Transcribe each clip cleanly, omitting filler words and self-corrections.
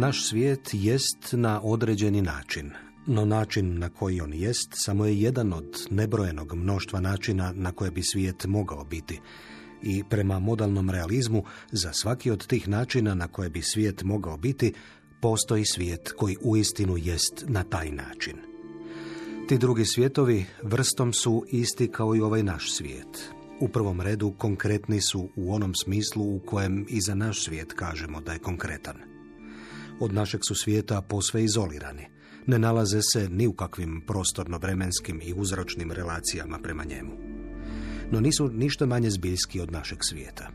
Naš svijet jest na određeni način, no način na koji on jest samo je jedan od nebrojenog mnoštva načina na koje bi svijet mogao biti. I prema modalnom realizmu, za svaki od tih načina na koje bi svijet mogao biti, postoji svijet koji uistinu jest na taj način. Ti drugi svijetovi vrstom su isti kao i ovaj naš svijet. U prvom redu konkretni su u onom smislu u kojem i za naš svijet kažemo da je konkretan. Od našeg su svijeta posve izolirani. Ne nalaze se ni u kakvim prostorno-vremenskim i uzročnim relacijama prema njemu. No nisu ništa manje zbiljski od našeg svijeta.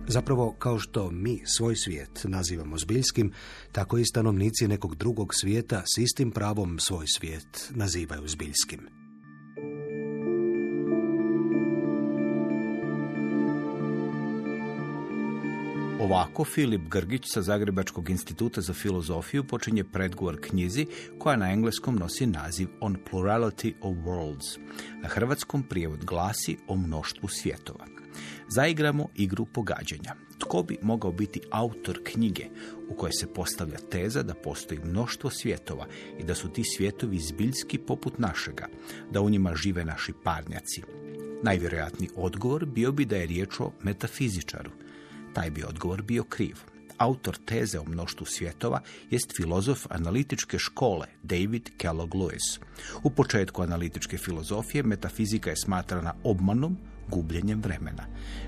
Zapravo, kao što mi svoj svijet nazivamo zbiljskim, tako i stanovnici nekog drugog svijeta s istim pravom svoj svijet nazivaju zbiljskim. Ovako Filip Grgić sa Zagrebačkog instituta za filozofiju počinje predgovor knjizi koja na engleskom nosi naziv On Plurality of Worlds. Na hrvatskom prijevod glasi O mnoštvu svjetova. Zaigramo igru pogađanja. Tko bi mogao biti autor knjige u kojoj se postavlja teza da postoji mnoštvo svjetova i da su ti svjetovi zbiljski poput našega, da u njima žive naši parnjaci? Najvjerojatniji odgovor bio bi da je riječ o metafizičaru. Taj bi odgovor bio kriv. Autor teze o mnoštvu svjetova jest filozof analitičke škole David Kellogg Lewis. U početku analitičke filozofije metafizika je smatrana obmanom, gubljenjem vremena.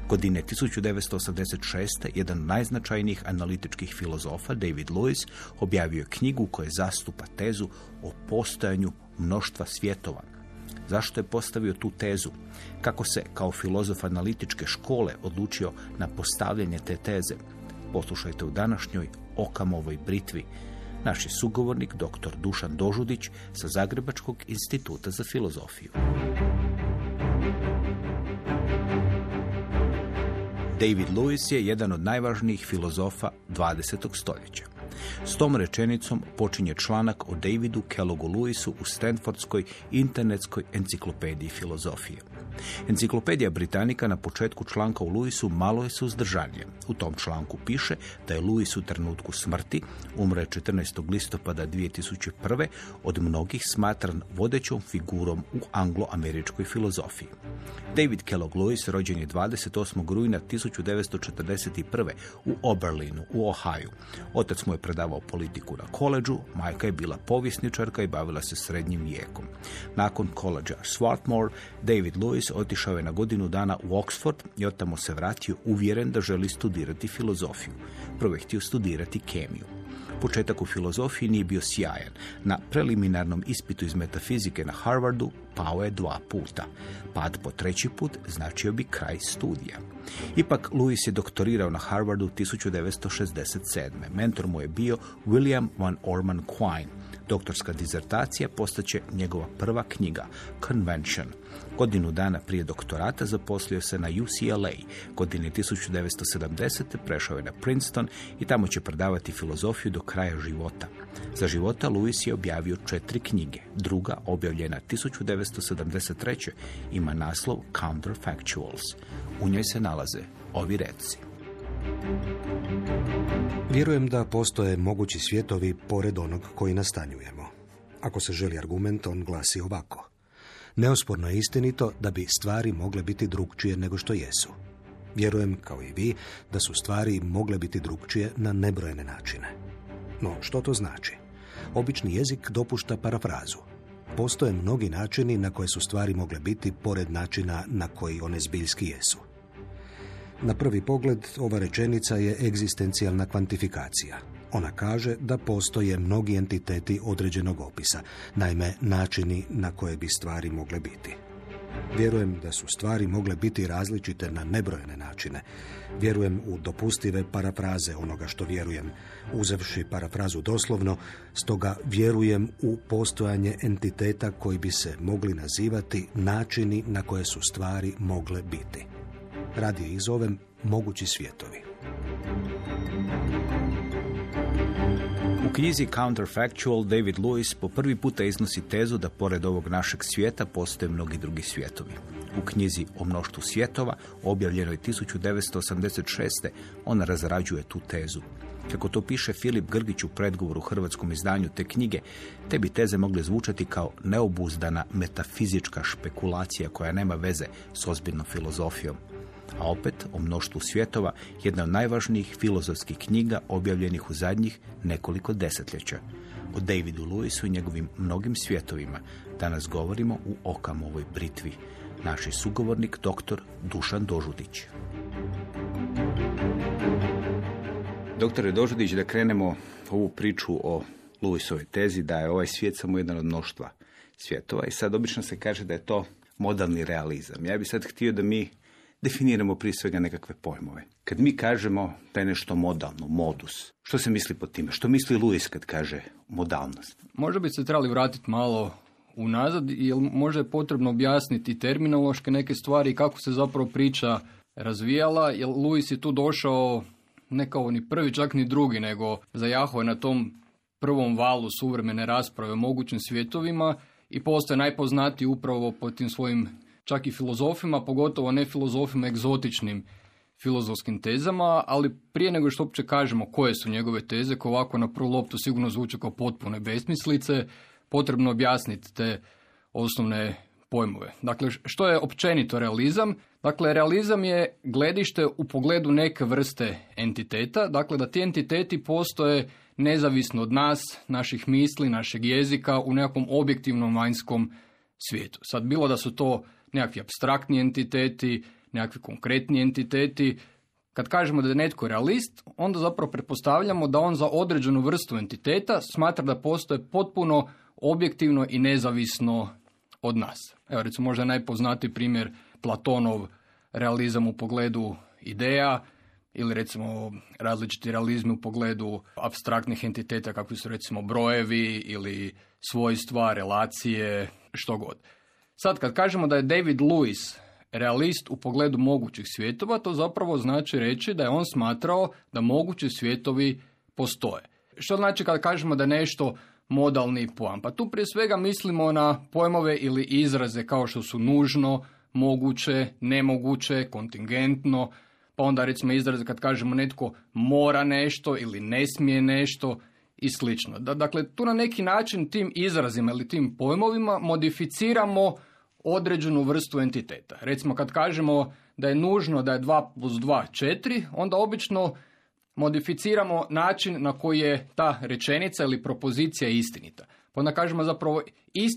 Godine 1986. jedan od najznačajnijih analitičkih filozofa, David Lewis, objavio je knjigu koja zastupa tezu o postojanju mnoštva svjetova. Zašto je postavio tu tezu? Kako se kao filozof analitičke škole odlučio na postavljanje te teze? Poslušajte u današnjoj Okamovoj britvi. Naš je sugovornik dr. Dušan Dožudić sa Zagrebačkog instituta za filozofiju. David Lewis je jedan od najvažnijih filozofa 20. stoljeća. S tom rečenicom počinje članak o Davidu Kelloggu Lewisu u Stanfordskoj internetskoj enciklopediji filozofije. Enciklopedija Britanika na početku članka u Lewisu malo je suzdržanije. U tom članku piše da je Lewis u trenutku smrti, umro je 14. listopada 2001. od mnogih smatran vodećom figurom u anglo-američkoj filozofiji. David Kellogg Lewis rođen je 28. rujna 1941. u Oberlinu, u Ohaju. Otac mu je predavao politiku na koledžu, majka je bila povjesničarka i bavila se srednjim vijekom. Nakon koledža Swarthmore, David Lewis otišao je na godinu dana u Oxford i otamo se vratio uvjeren da želi studirati filozofiju. Prvo je htio studirati kemiju. Početak u filozofiji nije bio sjajan. Na preliminarnom ispitu iz metafizike na Harvardu pao je 2 puta. Pad po 3. put značio bi kraj studija. Ipak Lewis je doktorirao na Harvardu 1967. Mentor mu je bio William Van Orman Quine. Doktorska dizertacija postaće njegova prva knjiga, Convention. Godinu dana prije doktorata zaposlio se na UCLA. Godine 1970. prešao je na Princeton i tamo će predavati filozofiju do kraja života. Za života Lewis je objavio 4 knjige. Druga, objavljena 1973. ima naslov Counterfactuals. U njoj se nalaze ovi reci. Vjerujem da postoje mogući svjetovi pored onog koji nastanjujemo. Ako se želi argument, on glasi ovako. Neosporno je istinito da bi stvari mogle biti drukčije nego što jesu. Vjerujem, kao i vi, da su stvari mogle biti drukčije na nebrojene načine. No, što to znači? Obični jezik dopušta parafrazu. Postoje mnogi načini na koje su stvari mogle biti pored načina na koji one zbiljski jesu. Na prvi pogled, ova rečenica je egzistencijalna kvantifikacija. Ona kaže da postoje mnogi entiteti određenog opisa, naime načini na koje bi stvari mogle biti. Vjerujem da su stvari mogle biti različite na nebrojene načine. Vjerujem u dopustive parafraze onoga što vjerujem, uzevši parafrazu doslovno, stoga vjerujem u postojanje entiteta koji bi se mogli nazivati načini na koje su stvari mogle biti. Radije ih zovem mogući svjetovi. U knjizi Counterfactual David Lewis po prvi puta iznosi tezu da pored ovog našeg svijeta postoje mnogi drugi svijetovi. U knjizi O mnoštvu svjetova, objavljenoj 1986. on razrađuje tu tezu. Kako to piše Filip Grgić u predgovoru hrvatskom izdanju te knjige, te bi teze mogle zvučati kao neobuzdana metafizička špekulacija koja nema veze s ozbiljnom filozofijom. A opet, o mnoštvu svjetova, jedna od najvažnijih filozofskih knjiga objavljenih u zadnjih nekoliko desetljeća. O Davidu Lewisu i njegovim mnogim svjetovima danas govorimo u Okamovoj britvi. Naš je sugovornik dr. Dušan Dožudić. Doktore Dožudić, da krenemo ovu priču o Lewisovoj tezi da je ovaj svijet samo jedan od mnoštva svjetova i sad obično se kaže da je to modalni realizam. Ja bih sad htio da mi definiramo prije svega nekakve pojmove. Kad mi kažemo da je nešto modalno, modus, što se misli pod time? Što misli Lewis kad kaže modalnost? Možda bi se trebali vratiti malo unazad, jer možda je potrebno objasniti terminološke neke stvari i kako se zapravo priča razvijala, jer Lewis je tu došao ne kao ni prvi, čak ni drugi, nego zajahao je na tom prvom valu suvremene rasprave o mogućim svjetovima i postaje najpoznatiji upravo po tim svojim čak i filozofima, pogotovo ne filozofima egzotičnim filozofskim tezama, ali prije nego što uopće kažemo koje su njegove teze, koje ovako na prvu loptu sigurno zvuče kao potpune besmislice, potrebno objasniti te osnovne pojmove. Dakle, što je općenito realizam? Dakle, realizam je gledište u pogledu neke vrste entiteta, dakle da ti entiteti postoje nezavisno od nas, naših misli, našeg jezika, u nekakvom objektivnom vanjskom svijetu. Sad, bilo da su to nekakvi apstraktni entiteti, nekakvi konkretni entiteti. Kad kažemo da je netko realist, onda zapravo pretpostavljamo da on za određenu vrstu entiteta smatra da postoje potpuno objektivno i nezavisno od nas. Evo, recimo, možda je najpoznatiji primjer Platonov realizam u pogledu ideja, ili recimo različiti realizmi u pogledu apstraktnih entiteta kakvi su recimo brojevi ili svojstva, relacije, što god. Sad kad kažemo da je David Lewis realist u pogledu mogućih svjetova, to zapravo znači reći da je on smatrao da mogući svjetovi postoje. Što znači kad kažemo da je nešto modalni pojam? Pa tu prije svega mislimo na pojmove ili izraze kao što su nužno, moguće, nemoguće, kontingentno, pa onda recimo izraze kad kažemo netko mora nešto ili ne smije nešto i slično. Dakle, tu na neki način tim izrazima ili tim pojmovima modificiramo određenu vrstu entiteta. Recimo kad kažemo da je nužno da je 2 + 2 4, onda obično modificiramo način na koji je ta rečenica ili propozicija istinita. Pa onda kažemo zapravo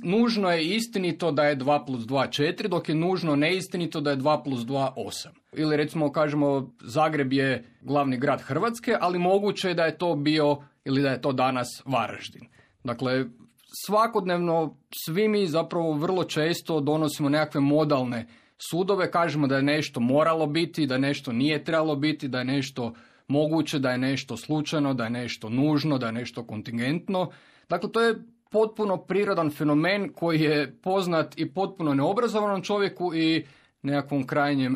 nužno je istinito da je 2 + 2 4, dok je nužno neistinito da je 2 + 2 8. Ili recimo kažemo Zagreb je glavni grad Hrvatske, ali moguće je da je to bio ili da je to danas Varaždin. Dakle, svakodnevno svi mi zapravo vrlo često donosimo nekakve modalne sudove, kažemo da je nešto moralo biti, da nešto nije trebalo biti, da je nešto moguće, da je nešto slučajno, da je nešto nužno, da je nešto kontingentno. Dakle, to je potpuno prirodan fenomen koji je poznat i potpuno neobrazovanom čovjeku i nekakvom krajnjem,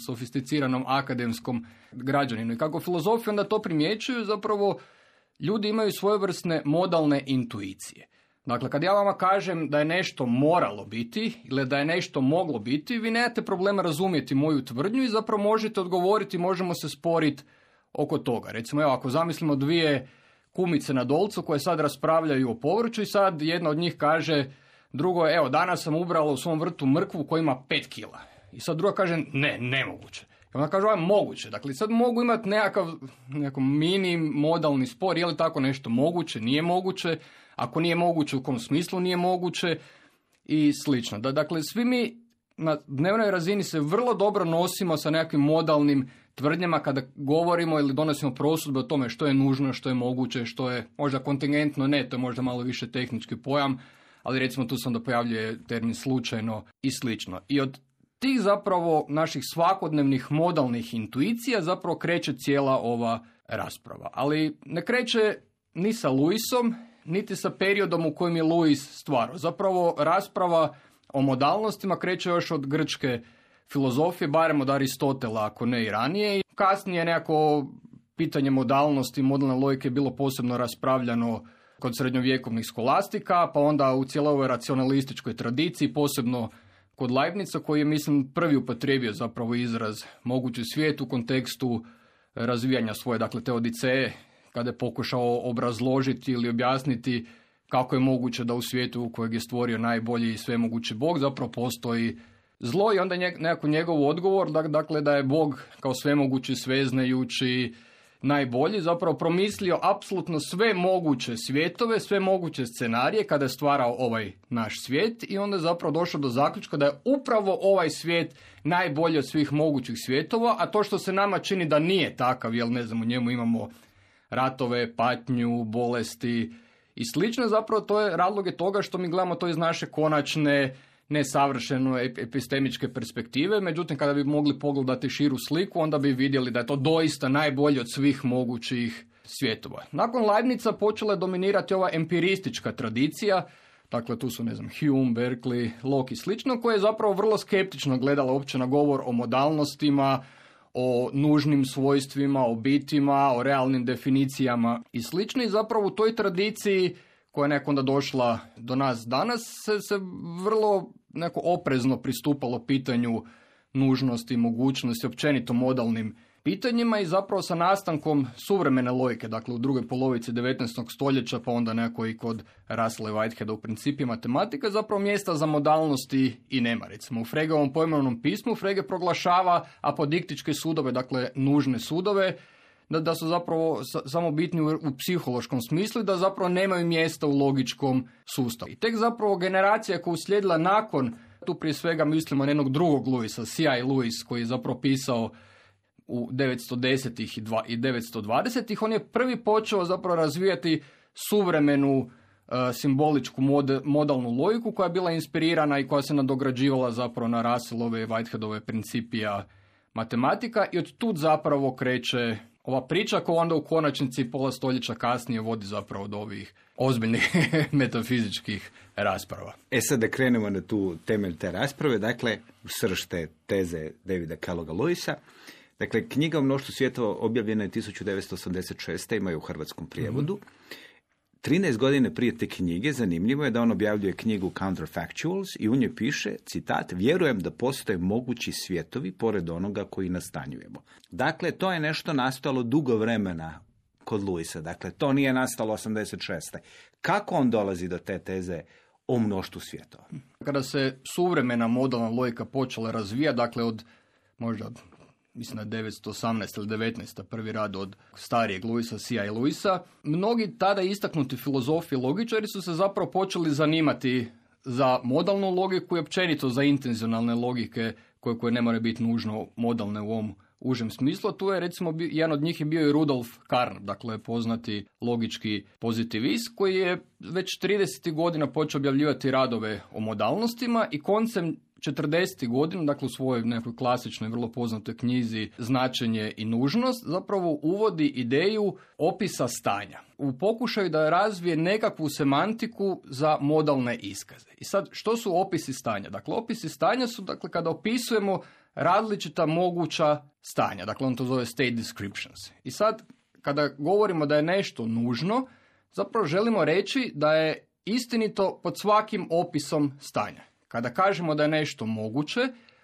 sofisticiranom akademskom građaninu. I kako filozofi onda to primjećuju, zapravo ljudi imaju svojevrsne modalne intuicije. Dakle, kad ja vama kažem da je nešto moralo biti ili da je nešto moglo biti, vi nemate problema razumjeti moju tvrdnju i zapravo možete odgovoriti, možemo se sporiti oko toga. Recimo, evo, ako zamislimo dvije kumice na Dolcu koje sad raspravljaju o povrću i sad jedna od njih kaže drugo, evo, danas sam ubrala u svom vrtu mrkvu koja ima 5 kila. I sad druga kaže, ne, nemoguće. I onda kaže, ovo je moguće. Dakle, sad mogu imati nekakav mini modalni spor, je li tako nešto moguće, nije moguće, ako nije moguće, u kom smislu nije moguće i slično. Dakle, svi mi na dnevnoj razini se vrlo dobro nosimo sa nekakvim modalnim tvrdnjama kada govorimo ili donosimo prosudbe o tome što je nužno, što je moguće, što je možda kontingentno, ne, to je možda malo više tehnički pojam, ali recimo tu se onda pojavljuje termin slučajno i slično. I od tih zapravo naših svakodnevnih modalnih intuicija zapravo kreće cijela ova rasprava. Ali ne kreće ni sa Lewisom, niti sa periodom u kojem je Lewis stvarao. Zapravo rasprava o modalnostima kreće još od grčke filozofije, barem od Aristotela, ako ne i ranije. I kasnije nekako pitanje modalnosti, modalne logike je bilo posebno raspravljano kod srednjovjekovnih skolastika, pa onda u cijeloj ovoj racionalističkoj tradiciji, posebno kod Leibnica, koji je, mislim, prvi upotrijebio zapravo izraz mogući svijet u kontekstu razvijanja svoje, dakle te odiceje, kada je pokušao obrazložiti ili objasniti kako je moguće da u svijetu u kojeg je stvorio najbolji i svemogući Bog zapravo postoji zlo i onda nekako njegov odgovor, dakle da je Bog kao svemogući, sveznajući, najbolji, zapravo promislio apsolutno sve moguće svjetove, sve moguće scenarije kada je stvarao ovaj naš svijet i onda je zapravo došao do zaključka da je upravo ovaj svijet najbolji od svih mogućih svjetova, a to što se nama čini da nije takav, jer ne znam, u njemu imamo ratove, patnju, bolesti i slično, zapravo to je razlog je toga što mi gledamo to iz naše konačne, nesavršeno epistemičke perspektive, međutim kada bi mogli pogledati širu sliku, onda bi vidjeli da je to doista najbolje od svih mogućih svjetova. Nakon Leibnica počela je dominirati ova empiristička tradicija, dakle tu su, ne znam, Hume, Berkeley, Locke i slično, koje je zapravo vrlo skeptično gledala uopće na govor o modalnostima, o nužnim svojstvima, o bitima, o realnim definicijama i slično. I zapravo u toj tradiciji koja je nekako onda došla do nas danas se vrlo neko oprezno pristupalo pitanju nužnosti, mogućnosti, općenito modalnim pitanjima i zapravo sa nastankom suvremene logike, dakle u drugoj polovici 19. stoljeća, pa onda neko i kod Russella i Whiteheada u principi matematika, zapravo mjesta za modalnosti i nema. Recimo u Fregeovom pojmovnom pismu Frege proglašava apodiktičke sudove, dakle nužne sudove, da su zapravo samo bitni u psihološkom smislu i da zapravo nemaju mjesta u logičkom sustavu. I tek zapravo generacija koja je uslijedila nakon, tu prije svega mislimo na jednog drugog Lewisa, C.I. Lewis, koji je zapravo pisao u 910-ih i 920-ih, on je prvi počeo zapravo razvijati suvremenu simboličku modalnu logiku koja je bila inspirirana i koja se nadograđivala zapravo na Russellove i Whiteheadove principija matematika i od tud zapravo kreće ova priča koja onda u konačnici pola stoljeća kasnije vodi zapravo do ovih ozbiljnih metafizičkih rasprava. Sad da krenemo na tu temelj te rasprave, dakle srž te teze Davida Kelloga Lewisa. Dakle, knjiga o mnoštvu svjetova objavljena je 1986. ima je u hrvatskom prijevodu. 13 godine prije te knjige zanimljivo je da on objavljuje knjigu Counterfactuals i u njoj piše, citat, vjerujem da postoje mogući svjetovi pored onoga koji nastanjujemo. Dakle, to je nešto nastalo dugo vremena kod Lewisa. Dakle, to nije nastalo 86. Kako on dolazi do te teze o mnoštvu svjetova? Kada se suvremena modalna logika počela razvijati, dakle od možda mislim da 918 ili 19. prvi rad od starijeg Lewisa, C.I. Lewisa, mnogi tada istaknuti filozofi i logičari su se zapravo počeli zanimati za modalnu logiku i općenito za intenzionalne logike koje ne moraju biti nužno modalne u ovom užem smislu. Tu je recimo jedan od njih je bio i Rudolf Carnap, dakle poznati logički pozitivist koji je već 30. godina počeo objavljivati radove o modalnostima i koncem 40. godina, dakle u svojoj nekoj klasičnoj, vrlo poznatoj knjizi Značenje i nužnost, zapravo uvodi ideju opisa stanja. U pokušaju da razvije nekakvu semantiku za modalne iskaze. I sad, što su opisi stanja? Dakle, opisi stanja su, dakle, kada opisujemo različita moguća stanja. Dakle, on to zove state descriptions. I sad, kada govorimo da je nešto nužno, zapravo želimo reći da je istinito pod svakim opisom stanja. Kada kažemo da je nešto moguće,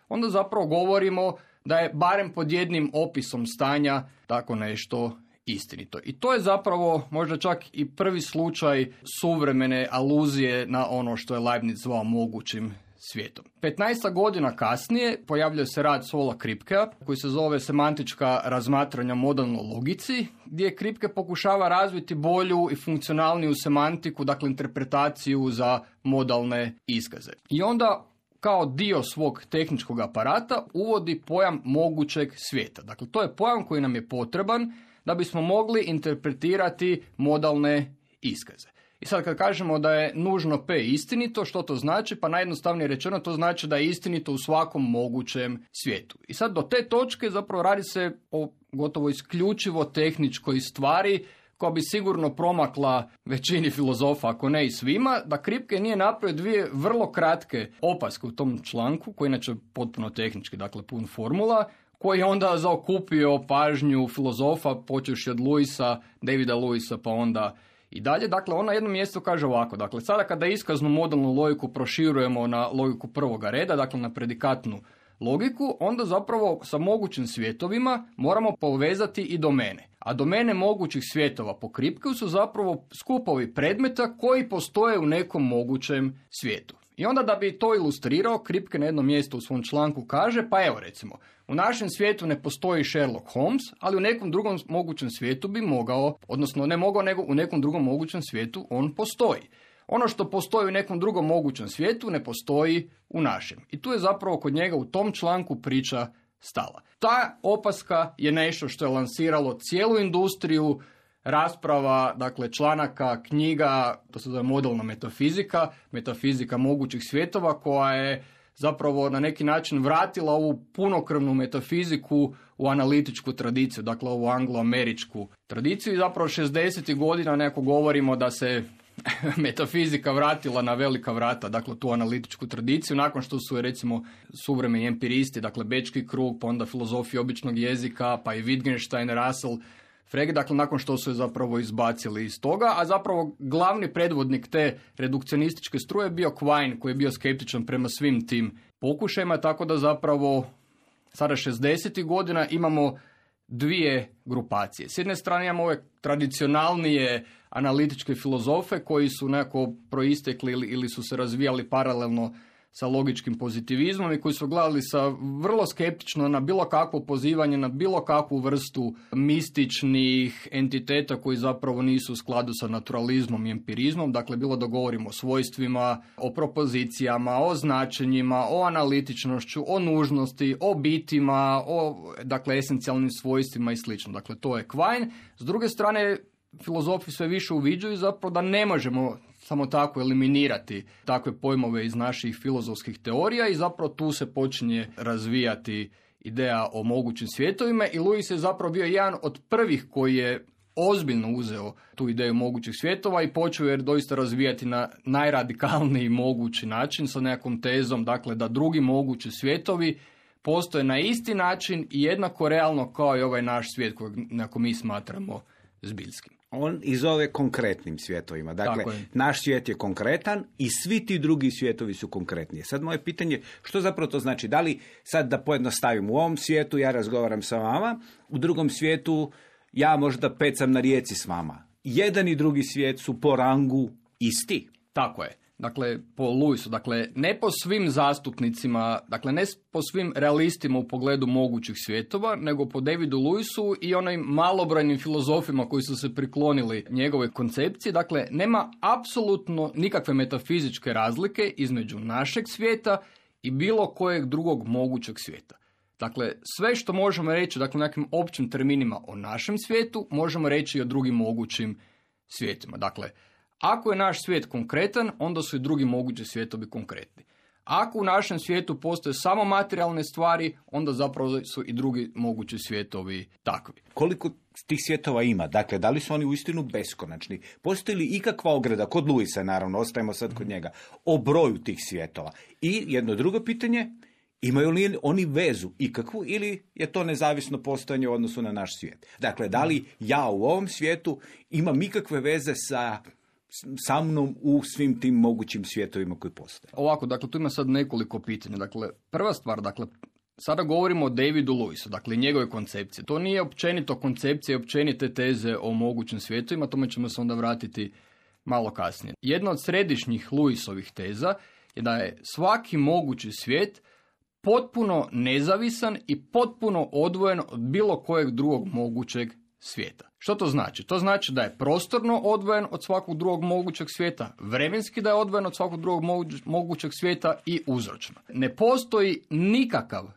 onda zapravo govorimo da je barem pod jednim opisom stanja tako nešto istinito. I to je zapravo možda čak i prvi slučaj suvremene aluzije na ono što je Leibniz zvao mogućim svijetom. 15 godina kasnije pojavljuje se rad Saula Kripkea koji se zove Semantička razmatranja modalnoj logici, gdje Kripke pokušava razviti bolju i funkcionalniju semantiku, dakle interpretaciju za modalne iskaze. I onda kao dio svog tehničkog aparata uvodi pojam mogućeg svijeta. Dakle, to je pojam koji nam je potreban da bismo mogli interpretirati modalne iskaze. I sad kad kažemo da je nužno P istinito, što to znači? Pa najjednostavnije rečeno to znači da je istinito u svakom mogućem svijetu. I sad do te točke zapravo radi se o gotovo isključivo tehničkoj stvari koja bi sigurno promakla većini filozofa, ako ne i svima, da Kripke nije napravio dvije vrlo kratke opaske u tom članku, koji inače potpuno tehnički, dakle pun formula, koji je onda zaokupio pažnju filozofa, počevši od Lewisa, Davida Lewisa, pa onda i dalje. Dakle, on na jednom mjestu kaže ovako, dakle, sada kada iskaznu modalnu logiku proširujemo na logiku prvoga reda, dakle na predikatnu logiku, onda zapravo sa mogućim svjetovima moramo povezati i domene. A domene mogućih svjetova po Kripkeu su zapravo skupovi predmeta koji postoje u nekom mogućem svijetu. I onda da bi to ilustrirao, Kripke na jednom mjestu u svom članku kaže, pa evo recimo, u našem svijetu ne postoji Sherlock Holmes, ali u nekom drugom mogućem svijetu bi mogao, odnosno ne mogao, nego u nekom drugom mogućem svijetu on postoji. Ono što postoji u nekom drugom mogućem svijetu ne postoji u našem. I tu je zapravo kod njega u tom članku priča stala. Ta opaska je nešto što je lansiralo cijelu industriju rasprava, dakle članaka, knjiga, to se zove modelna metafizika mogućih svjetova, koja je zapravo na neki način vratila ovu punokrvnu metafiziku u analitičku tradiciju, dakle ovu angloameričku tradiciju. I zapravo 60. godina nekako govorimo da se metafizika vratila na velika vrata, dakle tu analitičku tradiciju, nakon što su recimo suvremeni empiristi, dakle Bečki krug, pa onda filozofija običnog jezika, pa i Wittgenstein, Russell, Frege, dakle nakon što su je zapravo izbacili iz toga, a zapravo glavni predvodnik te redukcionističke struje je bio Quine, koji je bio skeptičan prema svim tim pokušajima, tako da zapravo sada 60. godina imamo dvije grupacije. S jedne strane imamo ove tradicionalnije analitičke filozofe koji su nekako proistekli ili su se razvijali paralelno sa logičkim pozitivizmom i koji su gledali sa vrlo skeptično na bilo kakvo pozivanje, na bilo kakvu vrstu mističnih entiteta koji zapravo nisu u skladu sa naturalizmom i empirizmom. Dakle, bilo da govorimo o svojstvima, o propozicijama, o značenjima, o analitičnošću, o nužnosti, o bitima, o dakle, esencijalnim svojstvima i slično. Dakle, to je Quine. S druge strane, filozofi sve više uviđaju zapravo da ne možemo samo tako eliminirati takve pojmove iz naših filozofskih teorija i zapravo tu se počinje razvijati ideja o mogućim svjetovima i Lewis je zapravo bio jedan od prvih koji je ozbiljno uzeo tu ideju mogućih svjetova i počeo je doista razvijati na najradikalniji mogući način sa nekakvom tezom, dakle da drugi mogući svjetovi postoje na isti način i jednako realno kao i ovaj naš svijet kojeg nekako mi smatramo zbiljskim. On i zove konkretnim svjetovima. Dakle, naš svijet je konkretan i svi ti drugi svjetovi su konkretniji. Sad moje pitanje, što zapravo to znači? Da li sad da pojednostavim, u ovom svijetu ja razgovaram sa vama, u drugom svijetu ja možda pecam na rijeci s vama. Jedan i drugi svijet su po rangu isti. Tako je. Dakle, po Lewisu, dakle, ne po svim zastupnicima, dakle, ne po svim realistima u pogledu mogućih svjetova, nego po Davidu Lewisu i onim malobrojnim filozofima koji su se priklonili njegove koncepcije. Dakle, nema apsolutno nikakve metafizičke razlike između našeg svijeta i bilo kojeg drugog mogućeg svijeta. Dakle, sve što možemo reći, dakle, nekim općim terminima o našem svijetu, možemo reći i o drugim mogućim svijetima. Dakle, ako je naš svijet konkretan, onda su i drugi mogući svijetovi konkretni. Ako u našem svijetu postoje samo materijalne stvari, onda zapravo su i drugi mogući svijetovi takvi. Koliko tih svjetova ima? Dakle, da li su oni uistinu beskonačni? Postoji li ikakva ograda, kod Lewisa naravno, ostajemo sad kod njega, o broju tih svjetova? I jedno drugo pitanje, imaju li oni vezu ikakvu ili je to nezavisno postojanje u odnosu na naš svijet? Dakle, da li ja u ovom svijetu imam ikakve veze sa mnom u svim tim mogućim svjetovima koji postoje? Ovako, dakle, tu ima sad nekoliko pitanja. Dakle, prva stvar, dakle, sada govorimo o Davidu Lewisu, dakle, njegove koncepcije. To nije općenito koncepcija i općenite teze o mogućim svjetovima, tome ćemo se onda vratiti malo kasnije. Jedna od središnjih Lewisovih teza je da je svaki mogući svijet potpuno nezavisan i potpuno odvojen od bilo kojeg drugog mogućeg svijeta. Što to znači? To znači da je prostorno odvojen od svakog drugog mogućeg svijeta, vremenski da je odvojen od svakog drugog mogućeg svijeta i uzročno. Ne postoji nikakav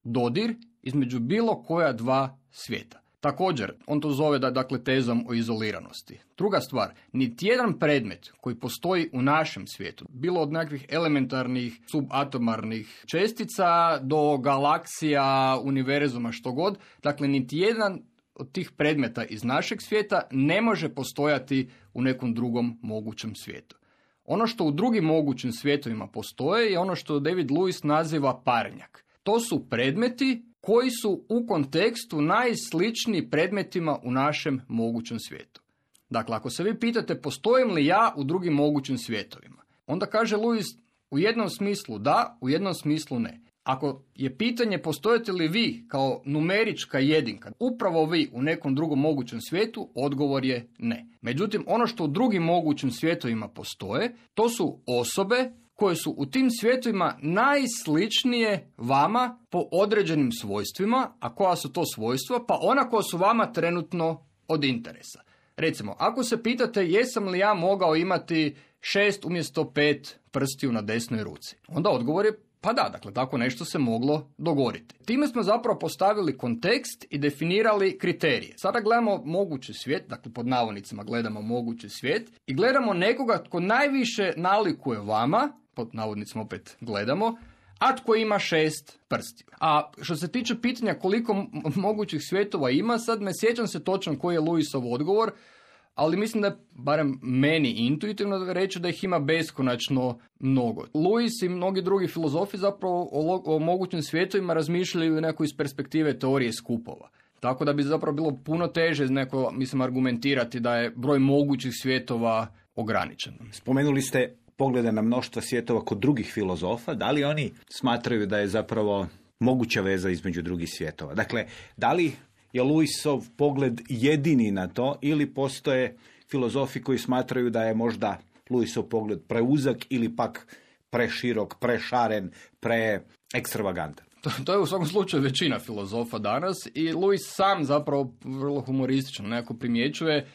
dodir između bilo koja dva svijeta. Također, on to zove dakle tezom o izoliranosti. Druga stvar, niti jedan predmet koji postoji u našem svijetu, bilo od nekakvih elementarnih subatomarnih čestica do galaksija, univerzuma, što god, dakle niti jedan od tih predmeta iz našeg svijeta ne može postojati u nekom drugom mogućem svijetu. Ono što u drugim mogućim svijetovima postoje je ono što David Lewis naziva parnjak. To su predmeti koji su u kontekstu najsličniji predmetima u našem mogućem svijetu. Dakle, ako se vi pitate postojim li ja u drugim mogućim svjetovima, onda kaže Lewis u jednom smislu da, u jednom smislu ne. Ako je pitanje postojite li vi kao numerička jedinka, upravo vi u nekom drugom mogućem svijetu, odgovor je ne. Međutim, ono što u drugim mogućim svijetovima postoje, to su osobe koje su u tim svijetovima najsličnije vama po određenim svojstvima, a koja su to svojstva? Pa ona koja su vama trenutno od interesa. Recimo, ako se pitate jesam li ja mogao imati 6 umjesto 5 prstiju na desnoj ruci, onda odgovor je pa da, dakle, tako nešto se moglo dogoditi. Time smo zapravo postavili kontekst i definirali kriterije. Sada gledamo mogući svijet, dakle, pod navodnicima gledamo mogući svijet i gledamo nekoga tko najviše nalikuje vama, pod navodnicima opet gledamo, a tko ima 6 prstiju. A što se tiče pitanja koliko mogućih svjetova ima, sad ne sjećam se točno koji je Lewisov odgovor, ali mislim da je, barem meni intuitivno reći, da ih ima beskonačno mnogo. Lewis i mnogi drugi filozofi zapravo o mogućim svjetovima razmišljaju nekako iz perspektive teorije skupova. Tako da bi zapravo bilo puno teže argumentirati da je broj mogućih svjetova ograničen. Spomenuli ste poglede na mnoštva svjetova kod drugih filozofa. Da li oni smatraju da je zapravo moguća veza između drugih svjetova? Dakle, da li je Lewisov pogled jedini na to ili postoje filozofi koji smatraju da je možda Lewisov pogled preuzak ili pak preširok, prešaren, preekstravagantan? To je u svakom slučaju većina filozofa danas i Lewis sam zapravo vrlo humoristično nekako primjećuje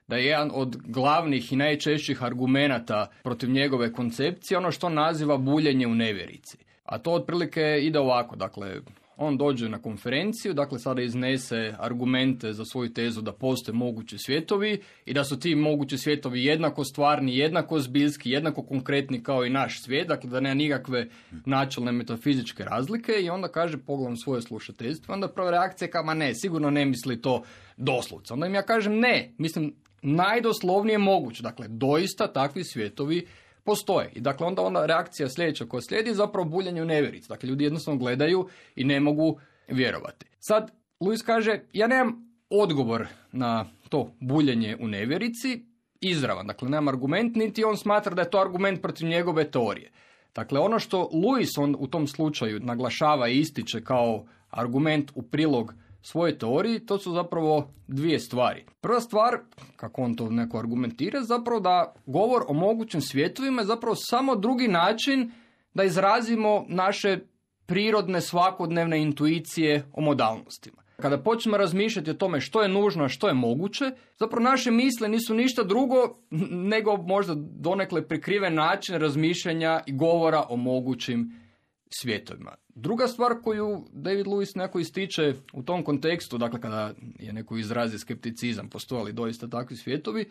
da je jedan od glavnih i najčešćih argumenata protiv njegove koncepcije ono što naziva buljenje u nevjerici. A to otprilike ide ovako, dakle, on dođe na konferenciju, dakle sada iznese argumente za svoju tezu da postoje mogući svjetovi i da su ti mogući svjetovi jednako stvarni, jednako zbiljski, jednako konkretni kao i naš svijet, dakle da nema nikakve načelne metafizičke razlike i onda kaže, pogledam svoje slušateljstvo, onda prva reakcija je kao, ma ne, sigurno ne misli to doslovce. Onda im ja kažem, ne, mislim najdoslovnije moguće, dakle doista takvi svjetovi postoje. I dakle onda reakcija sljedeća koja slijedi je zapravo buljenje u nevjerici. Dakle, ljudi jednostavno gledaju i ne mogu vjerovati. Sad, Lewis kaže, ja nemam odgovor na to buljenje u nevjerici, izravan. Dakle, nemam argument, niti on smatra da je to argument protiv njegove teorije. Dakle, ono što Lewis on u tom slučaju naglašava i ističe kao argument u prilog svoje teoriji, to su zapravo dvije stvari. Prva stvar, kako on to neko argumentira, zapravo da govor o mogućim svjetovima je zapravo samo drugi način da izrazimo naše prirodne svakodnevne intuicije o modalnostima. Kada počnemo razmišljati o tome što je nužno, a što je moguće, zapravo naše misle nisu ništa drugo nego možda donekle prikriven način razmišljanja i govora o mogućim svjetovima. Druga stvar koju David Lewis neko ističe u tom kontekstu, dakle kada je neko izrazi skepticizam, postoje li doista takvi svjetovi,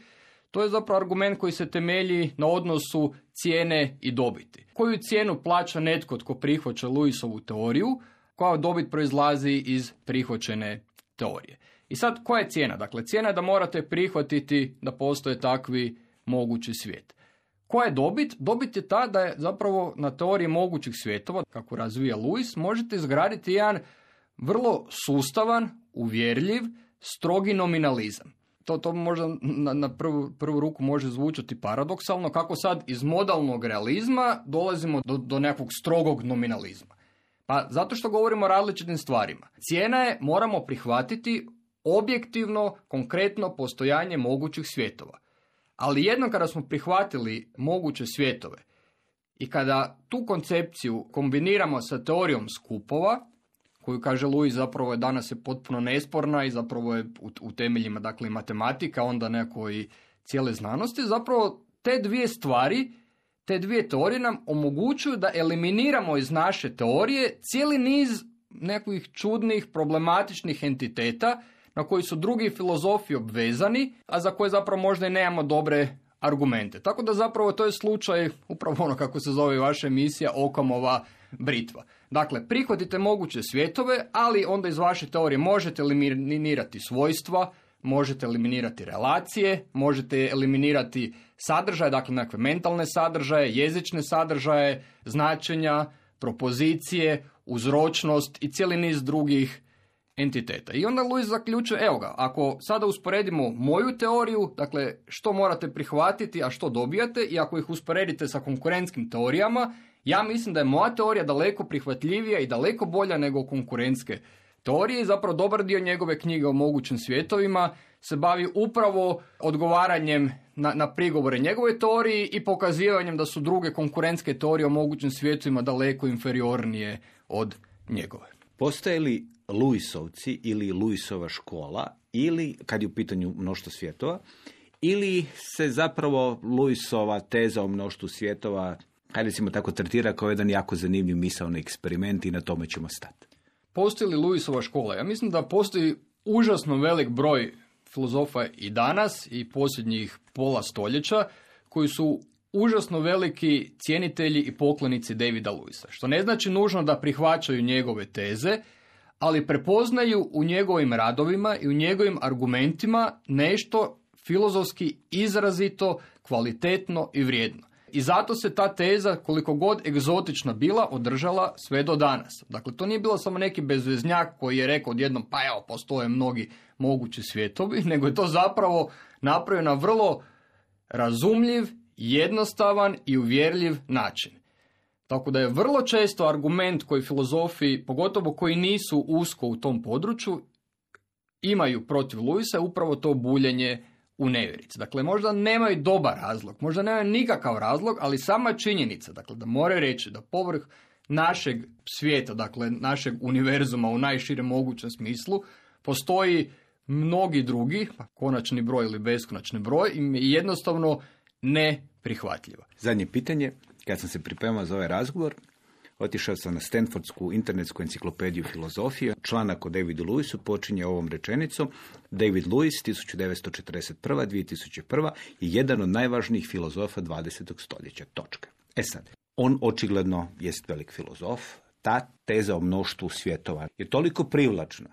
to je zapravo argument koji se temelji na odnosu cijene i dobiti. Koju cijenu plaća netko tko prihvaća Lewisovu teoriju, koja dobit proizlazi iz prihvaćene teorije. I sad, koja je cijena? Dakle, cijena je da morate prihvatiti da postoje takvi mogući svijet. Koja je dobit? Dobit je ta da je zapravo na teoriji mogućih svjetova, kako razvija Lewis, možete izgraditi jedan vrlo sustavan, uvjerljiv, strogi nominalizam. To možda na prvu ruku može zvučati paradoksalno, kako sad iz modalnog realizma dolazimo do nekakvog strogog nominalizma. Pa zato što govorimo o različitim stvarima. Cijena je, moramo prihvatiti objektivno, konkretno postojanje mogućih svjetova. Ali jednom kada smo prihvatili moguće svjetove i kada tu koncepciju kombiniramo sa teorijom skupova, koju kaže Lewis zapravo je danas je potpuno nesporna i zapravo je u temeljima dakle matematika, onda neko i cijele znanosti, zapravo te dvije stvari, te dvije teorije nam omogućuju da eliminiramo iz naše teorije cijeli niz nekih čudnih, problematičnih entiteta na koji su drugi filozofi obvezani, a za koje zapravo možda i nemamo dobre argumente. Tako da zapravo to je slučaj, upravo ono kako se zove vaša emisija, Okamova britva. Dakle, prihvatite moguće svjetove, ali onda iz vaše teorije možete eliminirati svojstva, možete eliminirati relacije, možete eliminirati sadržaje, dakle nekakve mentalne sadržaje, jezične sadržaje, značenja, propozicije, uzročnost i cijeli niz drugih entiteta. I onda Lewis zaključuje, evo ga, ako sada usporedimo moju teoriju, dakle što morate prihvatiti, a što dobijate, i ako ih usporedite sa konkurentskim teorijama, Ja mislim da je moja teorija daleko prihvatljivija i daleko bolja nego konkurentske teorije i zapravo dobar dio njegove knjige o mogućim svjetovima se bavi upravo odgovaranjem na prigovore njegove teoriji i pokazivanjem da su druge konkurentske teorije o mogućim svjetovima daleko inferiornije od njegove. Postoje li Lewisovci ili Lewisova škola, ili, kad je u pitanju mnoštvo svjetova, ili se zapravo Lewisova teza o mnoštvu svjetova, hajde recimo tako, tretira kao jedan jako zanimljiv misaoni eksperiment i na tome ćemo stati? Postoji li Lewisova škola? Ja mislim da postoji užasno velik broj filozofa i danas i posljednjih pola stoljeća koji su užasno veliki cjenitelji i poklonici Davida Lewisa. Što ne znači nužno da prihvaćaju njegove teze, ali prepoznaju u njegovim radovima i u njegovim argumentima nešto filozofski izrazito, kvalitetno i vrijedno. I zato se ta teza, koliko god egzotična bila, održala sve do danas. Dakle, to nije bilo samo neki bezveznjak koji je rekao odjednom, pa evo, postoje mnogi mogući svjetovi, nego je to zapravo napravio na vrlo razumljiv, jednostavan i uvjerljiv način. Tako da je vrlo često argument koji filozofi, pogotovo koji nisu usko u tom području, imaju protiv Lewisa upravo to buljenje u nevjerici. Dakle, možda nemaju dobar razlog, možda nemaju nikakav razlog, ali sama činjenica, dakle, da moraju reći da povrh našeg svijeta, dakle, našeg univerzuma u najširem mogućem smislu, postoji mnogi drugi, konačni broj ili beskonačni broj, im je jednostavno neprihvatljiva. Zadnje pitanje, kad sam se pripremao za ovaj razgovor, otišao sam na Stanfordsku internetsku enciklopediju filozofije. Članak o Davidu Lewisu počinje ovom rečenicom: David Lewis, 1941-2001, je jedan od najvažnijih filozofa 20. stoljeća. Točka. Sad, on očigledno jest velik filozof. Ta teza o mnoštvu svjetova je toliko privlačna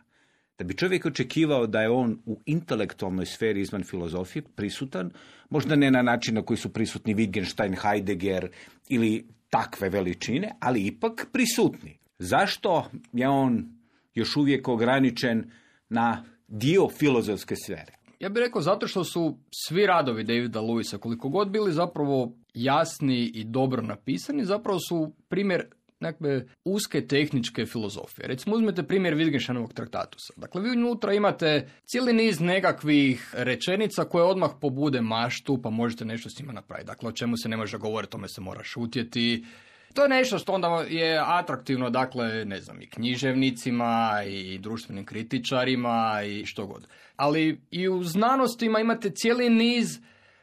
da bi čovjek očekivao da je on u intelektualnoj sferi izvan filozofije prisutan, možda ne na način na koji su prisutni Wittgenstein, Heidegger ili takve veličine, ali ipak prisutni. Zašto je on još uvijek ograničen na dio filozofske sfere? Ja bih rekao zato što su svi radovi Davida Lewisa, koliko god bili zapravo jasni i dobro napisani, zapravo su primjer nekakve uske tehničke filozofije. Recimo, uzmete primjer Wittgensteinovog traktatusa. Dakle, vi unutra imate cijeli niz nekakvih rečenica koje odmah pobude maštu, pa možete nešto s njima napraviti. Dakle, o čemu se ne može govoriti, tome se mora šutjeti. To je nešto što onda je atraktivno, dakle, ne znam, i književnicima, i društvenim kritičarima, i što god. Ali i u znanostima imate cijeli niz,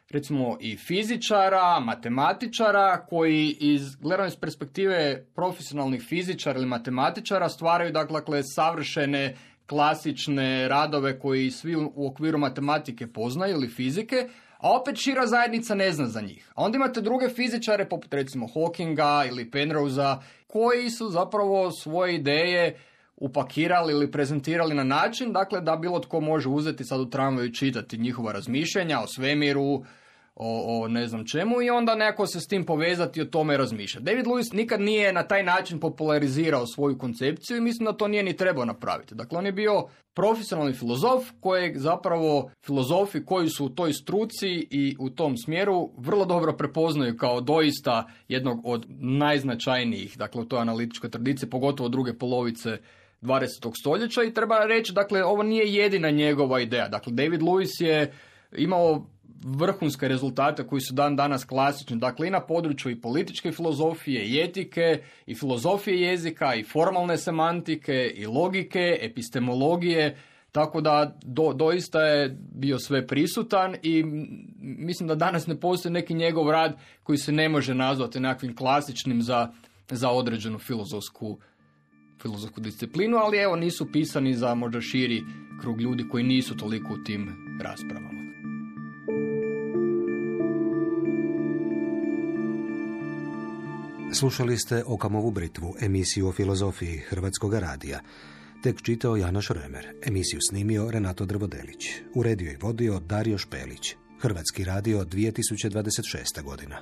recimo, i fizičara, matematičara, koji gledano iz perspektive profesionalnih fizičara ili matematičara stvaraju, dakle, savršene, klasične radove koji svi u okviru matematike poznaju ili fizike, a opet šira zajednica ne zna za njih. A onda imate druge fizičare, poput recimo Hawkinga ili Penrosea, koji su zapravo svoje ideje upakirali ili prezentirali na način, dakle, da bilo tko može uzeti sad u tramvaju i čitati njihova razmišljanja o svemiru, o ne znam čemu, i onda neko se s tim povezati i o tome razmišljati. David Lewis nikad nije na taj način popularizirao svoju koncepciju i mislim da to nije ni trebao napraviti. Dakle, on je bio profesionalni filozof kojeg zapravo filozofi koji su u toj struci i u tom smjeru vrlo dobro prepoznaju kao doista jednog od najznačajnijih, dakle, u toj analitičkoj tradiciji, pogotovo druge polovice 20. stoljeća, i treba reći, dakle, ovo nije jedina njegova ideja. Dakle, David Lewis je imao vrhunske rezultate koji su dan danas klasični, dakle, i na području i političke filozofije, i etike, i filozofije jezika, i formalne semantike, i logike, epistemologije, tako da doista je bio sve prisutan i mislim da danas ne postoji neki njegov rad koji se ne može nazvati nekakvim klasičnim za određenu filozofsku disciplinu, ali evo, nisu pisani za možda širi krug ljudi koji nisu toliko u tim raspravama. Slušali ste Okamovu britvu, emisiju o filozofiji Hrvatskog radija. Tek čitao Janoš Remer, emisiju snimio Renato Drvodelić, uredio i vodio Dario Špelić. Hrvatski radio 2026. godina.